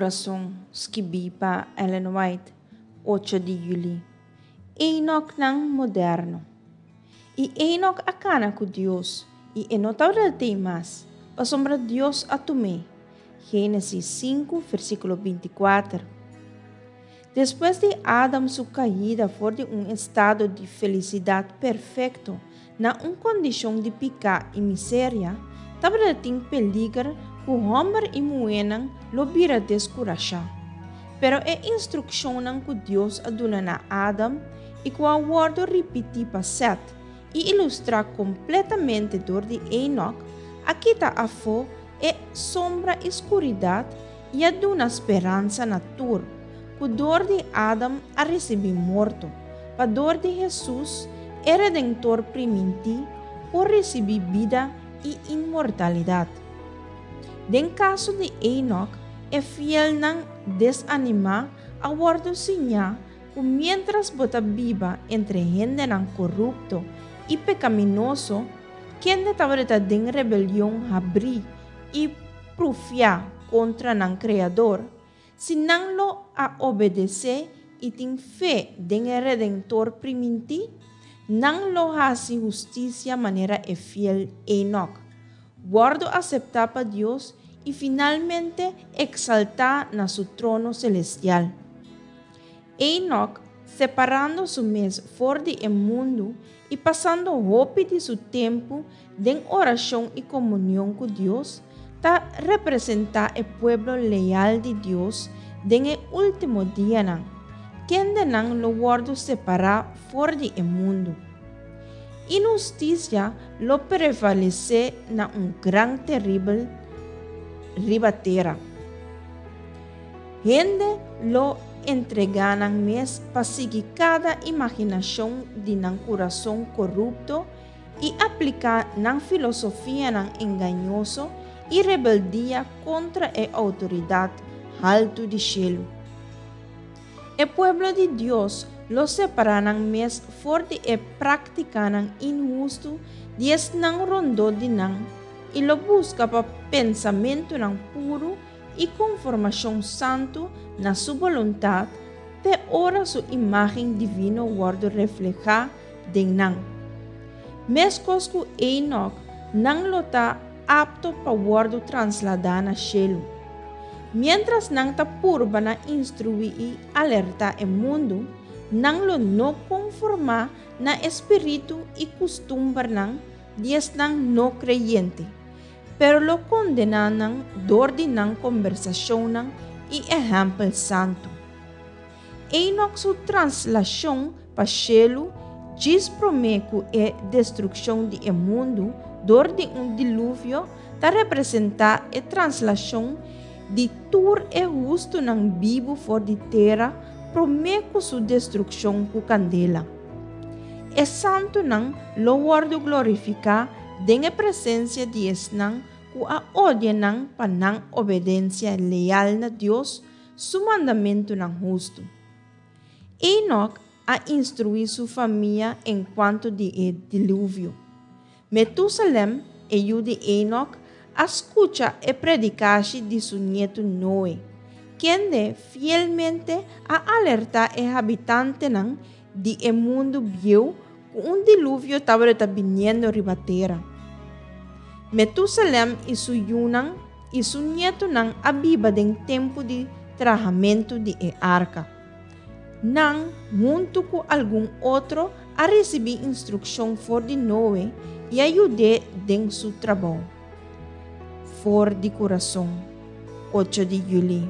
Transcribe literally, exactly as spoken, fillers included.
Kurason, skibí pa Ellen White, ocho di yüli. Enoknan moderno. I Enok a kana ku Dios, i e no tabatin mas, pasobra Dios a tum'é. Génesis sinku, versíkulo binti kuater. Despues di Adam su kaida for di un estado di felisidat perfekto na un kondishon di piká i miseria, tabatin peliger ku hòmber i muhénan lo bira deskurashá. Pero e instrukshonnan ku Dios a duna na Adam i ku a wòrdu ripití pa Set i ilustrá kompletamente dor di Enoch, a kita afó e sombra i skuridat i a duna speransa na tur, ku dor di Adam a risibí morto, pa dor di Hesus, e Redentor primintí, por risibí bida i inmortalidat. Den kaso di Enoch, e fielnan desanimá a wòrdu siñá ku mientras bo ta biba entre hendenan korupto i pekaminoso, kende tabata den rebelion habrí i prufiá kontra nan Kreador, si nan lo a obedesé i tin fe den e Redentor primintí, nan lo hasi hustisia manera e fiel Enoch, wòrdu aseptá pa Dios i finalmente eksaltá na su trono selestial. Enoch, separando su mes for di e mundu i pasando hopi di su tempu den orashon i komunion ku Dios, ta representá e pueblo leal di Dios den e último dianan, kendenan lo wòrdu separá for di e mundu. Inhustisia lo prevalesé na un gran teribel riba tera. Hende lo entregá nan mes pa sigui kada imaginashon di nan kurason korupto i apliká nan filosofianan engañoso i rebeldia kontra e outoridat haltu di shelu. E pueblo di Dios lo separá nan mes for di e práktikanan inhustu di esnan rondó di nan i lo buska pa pensamentunan puru i konformashon santu na su boluntat te ora su imágen divino wòrdu reflehá den nan. Meskos ku Enoch, nan lo ta apto pa wòrdu trasladá na shelu. Mientras nan ta purba na instruí i alertá e mundu, nan lo no konformá na spiritu i kustumbernan di esnan no kreyente, pero lo kondená nan dor di nan kombersashonnan i ehèmpel santu. Enoch su traslashon pa shelu djis promé ku e destrukshon di e mundu dor di un diluvio ta representá e traslashon di tur e hustunan bibu for di tera promé ku su destrukshon ku kandela. E santunan lo wòrdu glorifiká den e presensia di esnan ku a odia nan pa nan obedensia leal na Dios su mandamentunan hustu. Enoch a instruí su famia enkuanto di e diluvio. Metusalem, e yu di Enoch, a skucha e predikashi di su nietu Noe, kende fielmente a alertá e habitantenan di e mundu bieu ku un diluvio tabata biniendo riba tera. Metusalem i su yunan i su nietunan a biba den tempu di trahamentu di e arka. Nan, huntu ku algun otro, a risibí instrukshon for di Noe i a yud'é den su trabou. For di Kurason, ocho di yüli.